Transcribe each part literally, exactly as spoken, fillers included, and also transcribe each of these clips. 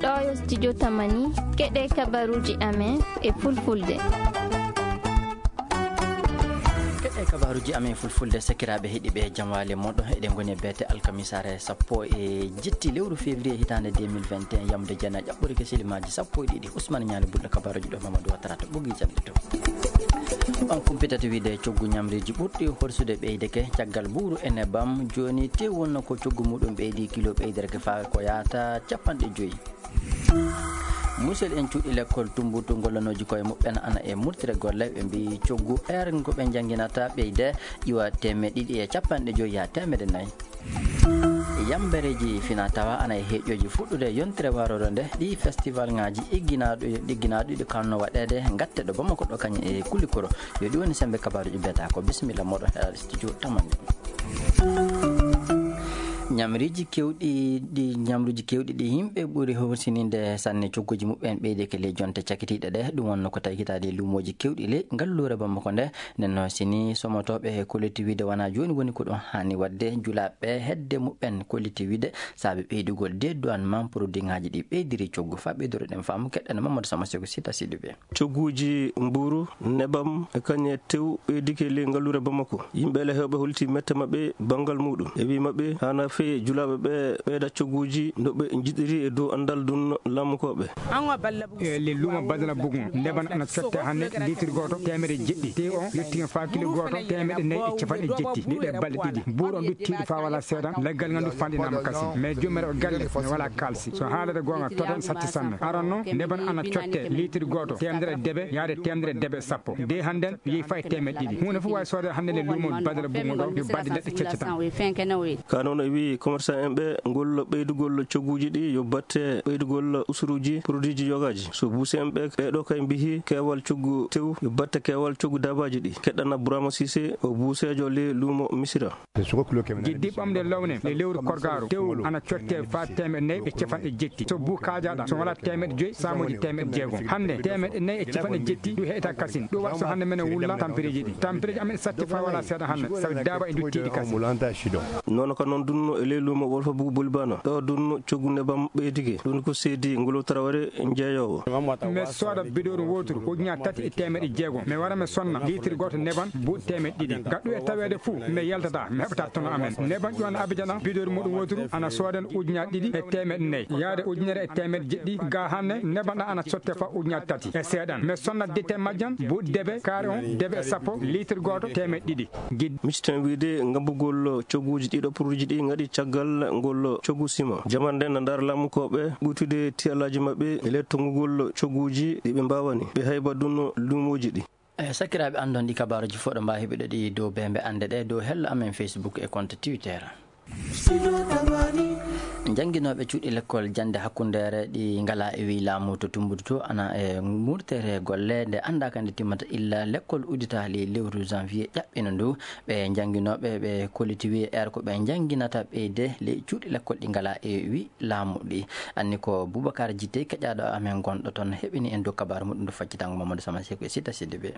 Ɗo yo studio Tamani, keɗe kabaruuji amen e fulfulde. Keɗe kabaruuji amen fulfulde, sakiraaɓe heɗiiɓe, jam waali moɗon. Eɗen ngoni e beete alkamisaare sappo e jetti lewru février hitaande deux mille vingt et un, yamde jeenayi ɓuri ke silimaaji sappo e ɗiɗi. Ousmane Ñaali Bulɗo, kabaruuji ɗo Mamadou Ouattara to ɓoggol caɗeele to. On kumpitata wiide coggu ñamriiji ɓurɗi horsude ɓeydeke caggal buuru e nebam. Jooni tew wonno ko coggu muɗum ɓeydi kilo ɓeyderke faa ko yahata capanɗe joyi. Musel en cuuɗi lekkol Tumbuktu gollanooji koye muɓɓen ana e murtire golle, ɓe mbiyi coggu R ko ɓe njannginata ɓeyde iwa teemeɗɗe ɗiɗi e capanɗe joyi yaa teemedde nayi. Yambereeji fina tawa ana e heeƴooji fuɗɗude yontere warooɗo nde, ɗi festivalŋaaji igginaaɗo, igginaaɗo ɗi kanno waɗeede ngatte ɗo Bamako ɗo kañum e Kulikoro. Yo ɗi woni semmbe kabaruuji beeta ko bisimilla moɗon heɗaade studio Tamani. Ñamriiji keewɗi ɗi, ñamruuji keewɗi ɗi yimɓe ɓuri hawsininde sanne cogguuji muɓɓen ɓeydeke ley jonte cakitiiɗe ɗe. Ɗum wonno ko tawi hitaade e luumooji keewɗi ley ngalluure Bamako nde. Nden noon, si ni somotooɓe kolliti wiide wonaa jooni woni ko ɗum haani waɗde, julaaɓe hedde muɓɓen kolliti wiide saabe ɓeydugol dédouanement produitŋaaji ɗi ɓeydiri coggu. Faa ɓeydoreɗen faamu, keɗɗen Mamadou Sama Seko Sita Sidibé. Cogguuji mbuuru, nebam, e kañum e tew ɓeydike ley ngalluure Bamako. Yimɓe ele heewɓe holliti mette maɓɓe banngal muɗum. E wii maɓɓe, haana feye julaaɓe ɓe ɓeyda cogguuji no ɓe njiɗiri e dow anndal ɗum laamukooɓe. E le luumo Badara Bugun, neban ana cotte hannde liitir gooto teemedde jeɗɗi. Tew on yettii faa kilo gooto teemedde nayi e capanɗe jetti. Ɗi ɗe balɗe ɗiɗi. Buuru on ɗuttiiɗo faa walaa seeɗa, leggal ngal ndu fanɗinaama kasin. Mais joomiraɓe galle, mi walaa kaalsi. So haalata goonga, total satti sanne. Aran noon, neban ana cotte liitir gooto teemedere debe, yaade teemedere debe sappo. De hannden, yehi faa e teemedde ɗiɗi. Huunde fof waawi soodee hannde le luumo Badara Bugun ɗo, yo balɗe leɗɗe ceccataa. Ka noon e wii commerçant en ɓe, ngol ɓeydugol cogguuji ɗi yo batte ɓeydugol usuruuji produitji yogaaji. So buuse en ɓe, ɓee ɗo kay mbiyi keewal coggu tew yo batte keewal coggu daabaaji ɗi. Keɗɗana Burama Sise, o buuseejo le luumo Misira. Giddi ɓamde lowne le lewru korgaaru, tew ana cotte faa teemedde nayi e capanɗe jetti. So buu kaajaɗa, so walaa teemedde joyi, saamooji teemedde jeegom. Hannde, teemedde nayi e capanɗe jetti, ɗum heɓata kasin. Ɗum waɗi so hannde menen wulla tampereeji ɗi. Tampereeji amen satti faa walaa seeɗa hannde, sabu daaba e nduttiiɗi kasin. Noon ko noon dunno e ley luumo Wolfa Bugu Bulbana. Ɗo dunno coggu nebam ɓeydike. Ɗum ko seedi Ngolo Tarawre jeeyoowo. Mi sooda bidoru wooturu, ujunaaji tati e teemedde jeegom. Mi wara mi sonna liitir gooto neban buuɗi teemedde ɗiɗi. Gaɗɗu e taweede fuu, mi yaltataa, mi heɓataa tono amen. Neban ƴuwana Abidjan, bidoru muɗum wooturu ana soodan ujunaaji ɗiɗi e teemedde nayi, yaade ujunere e teemedde jeɗɗi. Ga hannde, neban ɗan ana sotte faa ujunaaji tati e seeɗan. Mi sonna dete majjan, buuɗi debe, kaari on, debe sappo, liitir gooto, teemedde ɗiɗi. Gid- Miciten wiide ngabbugol cogguuji ɗiɗo produitji ɗi ngaɗi caggal ngol coggu sima. Jamande na ndaara laamukooɓe ɓuytude tiyalaaji maɓɓe e le tonngugol cogguuji ɗi ɓe mbaawani. Ɓe hayba dunno luumooji ɗi. E sakiraaɓe anndon ɗi kabaaruuji fof ɗo mbaawi heɓude ɗi dow beembe annde ɗe dow hello amen Facebook e compte Twitter. Jannginooɓe cuuɗi lekkol jannde hakkundeere ɗi ngalaa e wii laamu to Tumbuktu to ana e murtere golle nde anndaa ka nde timmata illa lekkol udditaali lewru janvier ƴaɓɓino ndu. Ɓe jannginooɓe ɓe kolliti wii er ko ɓe njannginata ɓeyde ley cuuɗi lekkol ɗi ngalaa e wii laamu ɗi. Anni ko Boubacar Jitey keƴaaɗo amen gonɗo toon heɓini en dow kabaaru muɗum ndu faccitango Mamadou Sama Seku e Sita Sidibé.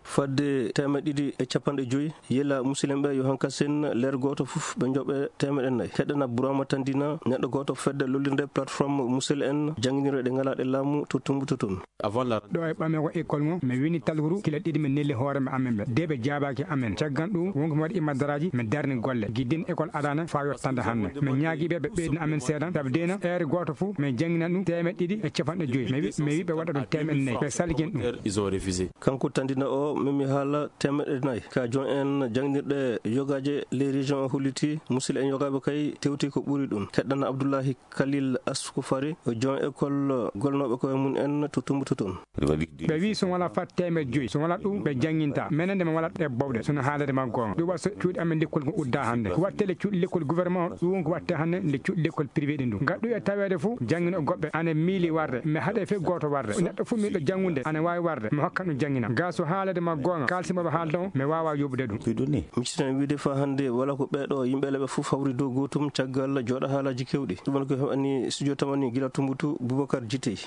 Fadde teemeɗɗe ɗiɗi e capanɗe joyi yela musidɓe ɓe yo hankasen leer gooto fof ɓe njoɓe teemeɗɗe nayi. Heɗana Burama Tandina, neɗɗo gooto fedde lollirde plateforme musidɓe en jannginirɗe ɗe ngalaa ɗe laamu to Tumbuktu toon. Avant la Ɗo e ɓame ko école ngo, mi wini talkuru kila ɗiɗi mi nelli hoore mi amen ɓe. De ɓe jaabaaki amen. Caggal ɗum, wonko mi waɗi imadaraaji, mi darni golle. Giddin école adaana faa yottande hannde. Mi ñaagii ɓe, ɓe ɓeydina amen seeɗa. Sabu deena, heure gooto fof, min jannginan ɗum teemeɗɗe ɗiɗi e capanɗe joyi. Mi wi, mi wi ɓe waɗa ɗum teemeɗɗe nayi. Ɓe salki en ɗum. Ils ont refusé. Kanko Tandina o, memi haala teemeɗɗe nayi. Ka jon en jannginirɗe yogaaje les régions o holliti, musidɓe en yogaaɓe kay tewti ko ɓuri ɗum. Heɗana Abdullahi Khalil Askufari, o jon école golnooɓe koye mum en to Tumbuktu toon. Ɓe wi so wonaa fat teemeɗɗe joyi, so wonaa ɗum ɓe jannginta. Menen nde mi waɗat ɗe bowɗe, so no haalade ma goonga. Ɗum waɗi so cuuɗi amen lekkol ko udda hannde. Ko waɗte le cuuɗi lekkol gouvernement o, ɗum ko waɗte hannde nde cuuɗi lekkol privé ɗi ndu. Ngaddu e taweede fof, janngino goɓɓe, ana miili warde, mi haɗe fe gooto warde. Neɗɗo fof miiɗo janngude, ana waawi warde, mi hokkan ɗum janngina. Ga so haalade Ma goonga, kaalisi maɓɓe haalta on, mi waawaa yoɓude ɗum. Ɗum ni. Mi citan wiide faa hannde wala ko ɓeeɗo yimɓe leɓe fof hawri dow gootum caggal jooɗa haalaaji keewɗi. Ɗum woni ko heɓani studio tamani gila Tumbutu, Boubacar Jitey.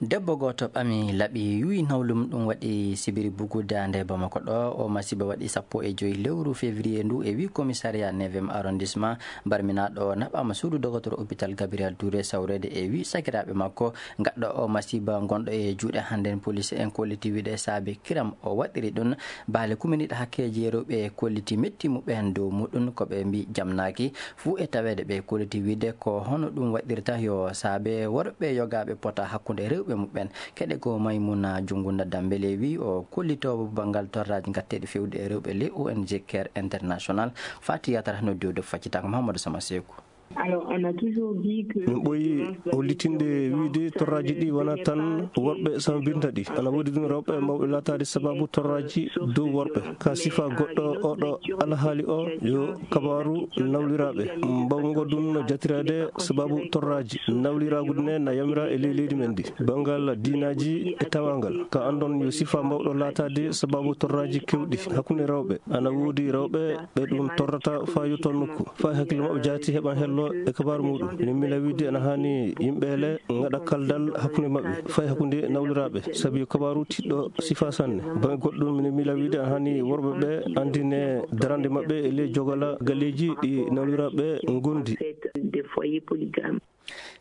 Debbo gooto ɓami laɓi yuwi nawlum, ɗum waɗi sibiri bugu daande Bamako ɗo. O masiba waɗi sappo e joy lewru février ndu e wi commissariat neuvième arrondissement. Barminaaɗo naɓaama suudu dogotoro hôpital Gabriel Touré sawreede e wi sakiraaɓe makko. Gaɗɗo o masiba gonɗo e juuɗe hannden, police en kolliti wiide saabe kiram o waɗiri ɗum. Baale kuminiiɗe hakkeeji rewɓe kolliti metti muɓɓen dow muɗum, ko ɓe mbi jamnaaki. Fuu e taweede ɓe kolliti wiide ko hono ɗum waɗirta yo saabe worɓe yogaaɓe pota hakkunde rewɓe muɓɓen. Keɗe ko Maymuna Jungunda Dambele wi o kollitoowo banngal torraaji ngatteeɗi fewde e rewɓe le O N G Care International. Fati yatara no diwde faccitaaka Mahamadou Sama Seeku. Alors, on a toujours dit que Min ɓooyi hollitinde wiide torraaji ɗi wona tan worɓe sababinta ɗi. Ana woodi ɗum rewɓe mawɓe laataade sababu torraaji dow worɓe. Ka sifa goɗɗo oɗo alhaali o yo kabaaru nawliraaɓe. Mbawngo ɗum no jatiraade sababu torraaji. Nawliraagu ne na yamira e ley leydi men ndi. Banngal diinaaji e tawaangal. Ka anndon yo sifa mawɗo laataade sababu torraaji kewɗi hakkunde rewɓe. Ana woodi rewɓe ɓe ɗum torrata faa yotto nokku, faa hakkille maɓɓe jaati heɓan hello e kabaaru muɗum. Min mila wiide ana haani yimɓe le ngaɗa kaldal hakkunde maɓɓe, fay hakkunde nawliraaɓe, sabi yo kabaaru tiɗɗo sifa sanne. Baŋnge goɗɗum, min mila wiide ana haani worɓe ɓe anndine darande maɓɓe e ley jogala galleeji ɗi nawliraaɓe ngondi. Des foyers polygames.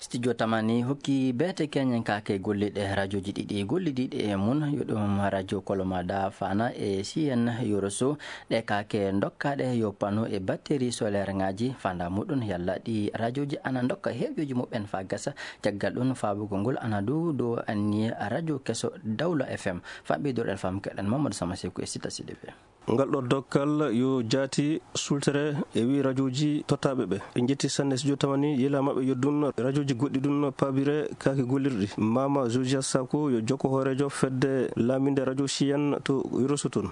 Studio Tamani hokki beete keñen kaake golliɗe rajooji ɗiɗi gollidiiɗe e mum, yo ɗum radio Kolomada Fana e C N Yoroso. Ɗe kaake dokkaaɗe yo pano e batterie solaire ŋaaji fanda muɗum, yalla ɗi rajooji ana dokka heeƴooji muɓɓen faa gasa. Caggal ɗum, faabugol ngol ana dow dow anniye radio keso Dawla F M. Faa ɓeydoɗen fam keɗen Mamadou Sama Seeku e Sita Sidibé. Ngal ɗo dokkal yo jaati sultere e wi rajooji tottaaɓe ɓe. Ɓe njetti sanne studio Tamani, yela maɓɓe yo ɗum rajooji goɗɗi ɗum paabire kaake gollirɗi. Mama Josias Sako yo jokko hooreejo fedde laaminde radio Siyan to Yoroso toon.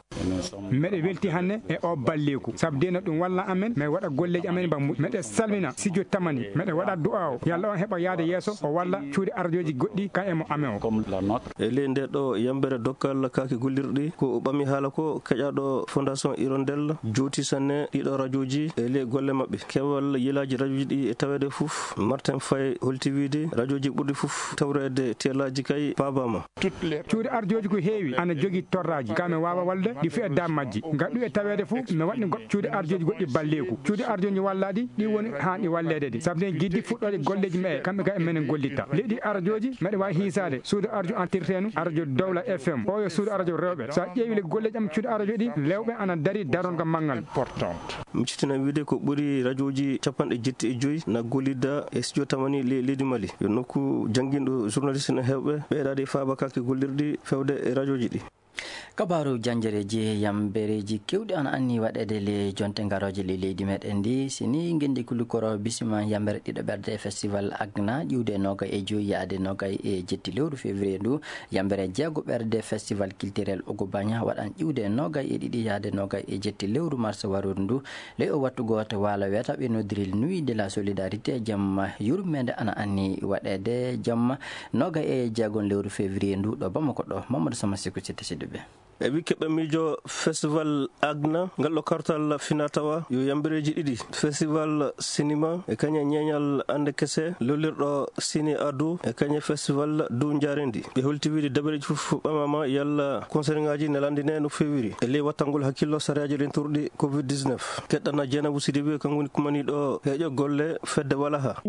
Meɗe welti hannde e o balleeku, sabu dena ɗum walla amen, mi waɗa golleeji amen bambuɗi. Meɗe salmina studio Tamani, meɗe waɗa du'a o, yalla on heɓa yaade yeeso, o walla cuuɗi arjooji goɗɗi ka e mo amen o. E ley nde ɗo yambere dokkal kaake gollirɗi, ko o ɓami haala ko keƴaɗo Fondation Hirondelle jooti sanne ɗiɗo rajooji e ley golle maɓɓe. Keewal yelaaji rajooji ɗi e taweede fof, Martin Faye holti wiide rajooji ɓurɗi fof tawreede teelaaji kay paabaama. Cuuɗi arjooji ko heewi ana jogii torraaji, ka mi waawa walde ɗi fii e dam majji. Ngal ɗum e taweede fof, mi waɗni goɗɗo cuuɗi arjooji goɗɗi balleeku. Cuuɗi arjooji wallaaɗi, ɗi woni haa ɗi walleede ɗi. Sabu nden jiddi fuɗɗoode golleeji meɗe, kamɓe ka e menen gollitta. Leydi arjooji, meɗe waawi hiisaade suudu arjo entretenu, arjo Dowla F M. O yo suudu arjo rewɓe. So a ƴeewi le golleeji am cuuɗi arjo ɗi, lewɓe ana dari daronga manngal. Mi citina wiide ko ɓuri rajooji capanɗe jetti e joyi na gollida e studio Tamani le-, leydi Mali. Yo nokku jannginɗo journaliste no heewɓe ɓeydaade faabakaaki gollirɗi fewde e rajooji ɗi. Kabaaru janjereeji, yambereeji keewɗi ana anni waɗeede le jonte ngarooje le leydi meɗen ndi. Si ni ngenndi kulikoro bisima yambere ɗiɗo ɓerde festival Agna ƴiwde nogay e joyi yaade nogay e jetti lewru février ndu. Yambere jeego ɓerde festival culturel Ogo Baña waɗan ƴiwde nogay e ɗiɗi yaade nogay e jetti lewru mars warude ndu. Ley o wattu gooto waalo weeta ɓe noddiri Nuit de la Solidarité, jamma yurmeende ana anni waɗeede jamma nogay e jeegon lewru février ndu ɗo Bamako ɗo. Mamadou Sama Seku Sitte Sidibé. E wi keɓɓe miijo festival Agna, ngal ɗo kartal finatawa yo yambereeji ɗiɗi. Festival cinéma e kañe ñeeñal annde kese, lollirɗo ciné ado e kañe festival dow njaarendi. Ɓe holti wiide dabareeji fof ɓamama yalla concert ŋaaji ne landine no feewiri. E ley wattangol hakkillo sariyaaji rentorɗi covid dix-neuf. Keɗɗana Jeynabou Sidibé, kanko woni kumaniiɗo heeƴo golle fedde Walaha.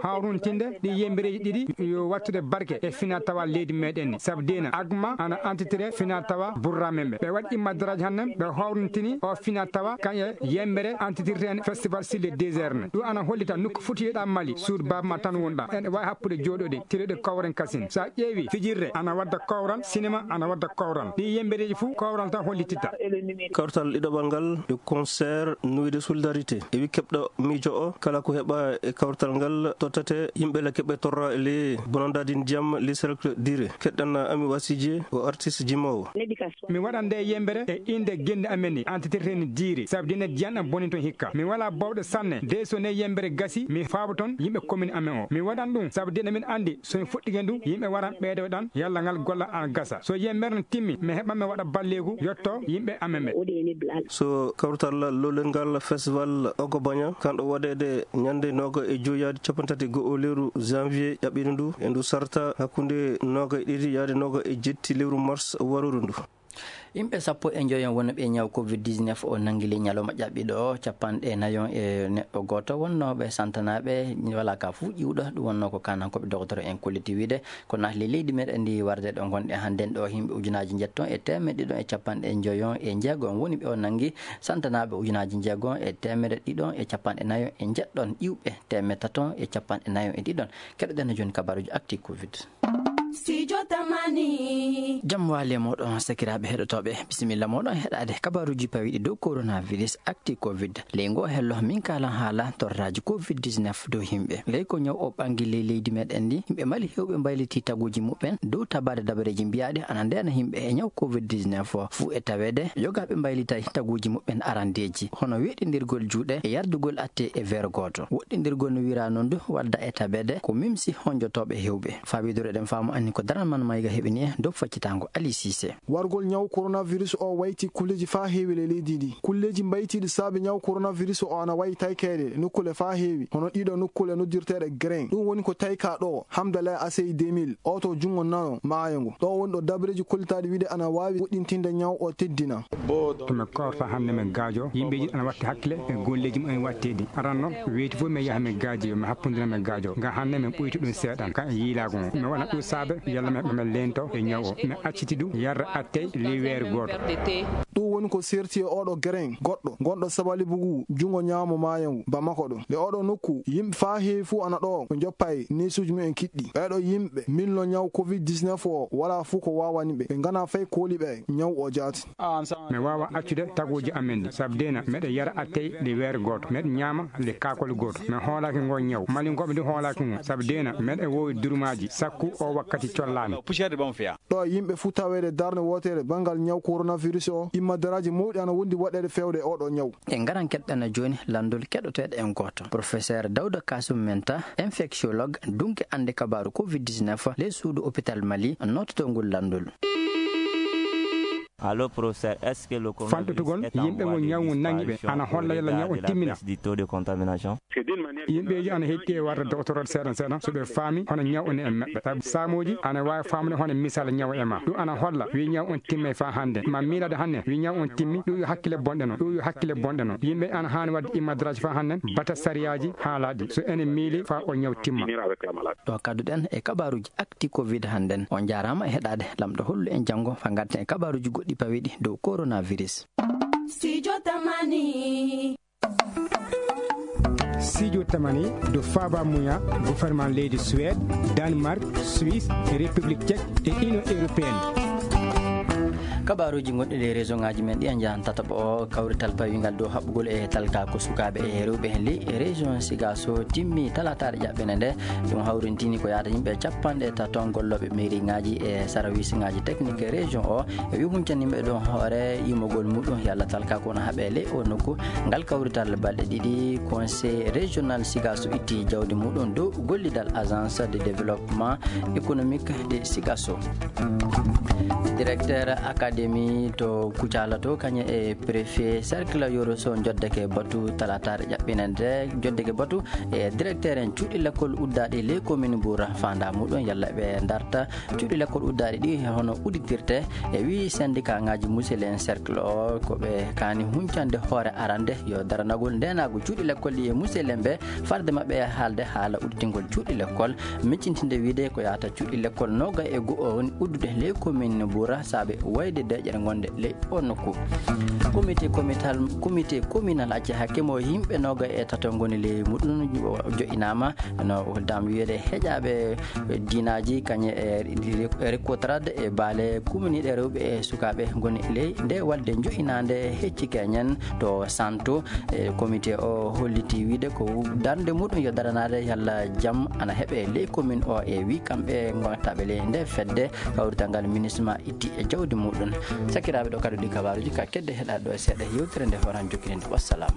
Hawruntinde ɗi yembereeji ɗiɗi yo wattude barke e finatawa leydi meɗen ni. Sabu dena Agma ana entitire finatawa burramen ɓe. Ɓe waɗi immadaraaji hannden, ɓe hawruntini o finatawa kan e yembere entitirten festival sur le désert ne. Ɗum ana hollita nokku fotiyeɗa Mali, suudu baaba ma tan wonɗa. Ene wawi happude jooɗoɗe, tireɗe kawren kasin. Sa ƴeewi fijirde ana wadda kawral, cinéma ana wadda kawral. Ɗi yembereeji fof kawral tan hollititta. Kawtal ɗiɗaɓal ngal yo concert Nuit de Solidarité. E wi keɓɗo miijo o, kala ko heɓa e kawtal ngal tottate yimɓe le keɓe torra e le bonandadi ndiyam le cercle dire. Keɗɗan Ami Wasiji o artiste jimowo. Mi waɗan nde yembere e innde genne amen ni, antitirte ni diiri, sabu dina diyan am boni toon hikka. Mi walaa bawɗe sanne, de so ne yembere gasi, mi faabo toon yimɓe commune amen o. Mi waɗan ɗum, sabu dina min anndi, so mi fuɗɗike ndu, yimɓe waran ɓeydo ɗan, yalla ngal golla an gasa. So yembere no timmi, mi heɓa mi waɗa balleeku, yotto yimɓe amen ɓe. So kawrital lolel ngal festival Ogo Baña, kanɗo waɗeede ñande nooga e joyi yaade cappanɗe tati e go'o lewru janvier ƴaɓɓiino ndu, e ndu sarta hakkunde nooga e ɗiɗi yaade nooga e jetti lewru mars waruru ndu. Yimɓe sappo e njoyon wonɓe e ñaw covid dix-neuf o nangili ñalawma ƴaɓɓiɗo o, capanɗe nayon e neɗɗo gooto wonnooɓe santanaaɓe, walaa ka fuu ƴiwɗo. Ɗum wonnoo ko kaanankooɓe dogotoro en kolliti wiide. Ko naatli leydi meɗen ndi warde ɗo ngonɗe hannden ɗo, yimɓe ujunaaji njetton e teemeɗɗe ɗiɗon e capanɗe njoyon e njeegom woni ɓe o nangi, santanaaɓe ujunaaji njeegom e teemeɗɗe ɗiɗon e capanɗe nayon e njeɗɗon, ƴiwɓe teemeɗɗe taton e capanɗe nayon e ɗiɗon. Keɗoɗen jooni kabaruuji actu covid. Studio Tamani. Jam waali e mooɗon, sakiraaɓe heɗotooɓe. Bisimilla mooɗon heɗaade kabaruuji pawiiɗi dow coronavirus actu covid. Ley ngoo hello, min kaalan haala torraaji covid dix-neuf dow yimɓe. Ley ko ñaw o ɓangi ley leydi meɗen ndi, yimɓe Mali heewɓe mbaylitii taguuji muɓɓen dow tabaade dabareeji mbiyaaɗi ana ndeena yimɓe e ñaw covid dix-neuf o. Fuu e taweede, yogaaɓe mbaylitay taguuji muɓɓen arandeeji, hono weeɗindirgol juuɗe e yardugol atte e weeru gooto. Woɗɗindirgol no wiiraa noon du wadda e tabeede ko mimsi honjotooɓe heewɓe. Faa wiidureɗen faamu anni ko daral man mayga heɓini e dow faccitaango Ali Siise. Wargol ñaw coronavirus o wayti kulleeji faa heewi ley leydi ndi. Kulleeji mbaytiiɗi saabe ñaw coronavirus o ana wayi taykeede nokkuule faa heewi, hono ɗiɗo nokkuule noddirteeɗe Grain. Ɗum woni ko taykaa ɗo Hamdallah Asey deux mille, oto junngo nano maayo ngo. Ɗo woni ɗo dabareeji kollitaaɗi wiide ana waawi woɗɗintinde ñaw o teddina. Emi korta hannde men gaajo, yimɓeeji ana watti hakkile e golleeji mo en watteedi. Aranno, weyti fof mi yaha mi gaaji, yo mi happondira mi gaajo. Nga hannde mi ɓoyti ɗum seeɗan, ka e yiilaago ngon. Mi waɗa ɗum saabe, yalla mi heɓa mi leento e ñaw o. Mi acciti ɗum, yarra attey ley weeru gooto. Ɗum woni ko serti e oɗo Grain, goɗɗo, gonɗo Sabali Bugu, junngo ñaamo maayo ngu, Bamako ɗo. Nde oɗo nokku, yimɓe faa heewi fof ana ɗo, ko njoppa e neesuuji mumen kiɗɗi. Ɓeeɗo yimɓe, milno ñaw covid dix-neuf o, walaa fof ko waawani ɓe. Ɓe ngana fay kooli ɓe, ñaw o jaati. Mi waawaa accude taguuji amen ɗi, sabu deena meɗe yara attey ɗi weere gooto, meɗe ñaama ɗi kaakol gooto. Mi hoolaaki ngoo ñaw, malinkooɓe ndi hoolaaki ngu, sabu deena meɗe woowi durmaaji, sakku o wakkati collaani. Ɗo yimɓe fuu taweede darnde wootere banngal ñaw coronavirus o, immadaraaji mawɗi ana wondi waɗeede feewde oɗo ñaw. En ngaran keɗɗana jooni lanndol keɗoteeɗo en gooto, Professeur Dawda Kasum Menta, infectiologue, dunke annde kabaaru covid dix-neuf, ley suudu hôpital Mali, noototo ngol lanndol. Faltotugol yimɓe ngo ñaw ngu nangi ɓe ana holla yalla ñaw on timmina. Yimɓeeji ana hetti e warde doctorode seeɗan seeɗan so ɓe faami hono ñaw on e maɓɓe. Sabu saamooji ana waawi faamude hono misal ñaw e ma. Ɗum ana holla wi ñaw on timmay faa hannde. Ma miilade hannde wi ñaw on timmi. Ɗum yo hakkile bonɗe noon. Ɗum yo hakkile bonɗe noon. Yimɓe ana haani waɗde immadraaji faa hannde bata sariyaaji haalaaɗi. So enen miili faa o ñaw timma. Ɗo kadduɗen e kabaaruuji actu covid hannden. On njaaraama e heɗaade. Lamɗo hollu en janngo faa ngarten e kabaaruuji goɗɗi pawiiɗi dow coronavirus. Studio Tamani. Studio Tamani dow faaba muya gouvernement leydi Suède, Danemark, Suisse, République Tchèque e Union Européenne. Kabaaruuji gonɗi ley région ŋaaji men ɗi en njahan tataɓo o, kawrital pawiingal dow haɓɓugol e talkaaku sukaaɓe e rewɓe heen ley région Sigaso timmi talaataare ƴaɓɓene nde. Ɗum hawrintini ko yaata yimɓe capanɗe tato gollooɓe mairie ŋaaji e service ŋaaji technique région o. E wi huncani yimɓe ɗon hoore yimogol muɗum yalla talkaaku no haɓe ley o nokku. Ngal kawrital balɗe ɗiɗi, conseil régional Sigaso itti jawdi muɗum dow gollidal agence de développement économique de Sigaso. Directeur académie to Kucala to, kañum e préfet cercle Yoro Sow njoddeke batu talaataare ƴaɓɓinande, njoddeke batu e directeur en cuuɗi lekkol uddaaɗi ley commune Mbour, faandaa muɗum yalla ɓe ndarta cuuɗi lekkol uddaaɗi ɗi hono udditirte. E wi syndicat ŋaaji musidɓe en cercle o ko ɓe kaani huncande hoore arande yo daranagol ndeenaagu cuuɗi lekkol ɗi e musidɓe en ɓe farde maɓɓe e haalde haala udditingol cuuɗi lekkol. Miccintinde wiide ko yaata cuuɗi lekkol nooga e go'o woni uddude ley commune Mbour saabe wayde deƴƴere ngonde ley o nokku. Comité communal, comité communal acci hakke mo yimɓe nooga e tato ngoni ley muɗum jo'inaama no dam wiyeede heƴaaɓe diinaaji kañe e rekotrade e baale kuminiiɗe rewɓe e sukaaɓe ngoni ley nde walde jo'inaande hecci keñen to Santo. E comité o holliti wiide ko darnde muɗum yo daranaade yalla jam ana heɓe ley commune o e wi kamɓe gontaɓe ley nde fedde kawrital ngal ministre ma itti e jawdi muɗum. Sakiraaɓe, ɗo kadi ɗi kabaaruuji ka kedde heɗaade ɗo e seeɗa yewtere nde horan jokkininde. Wassalam.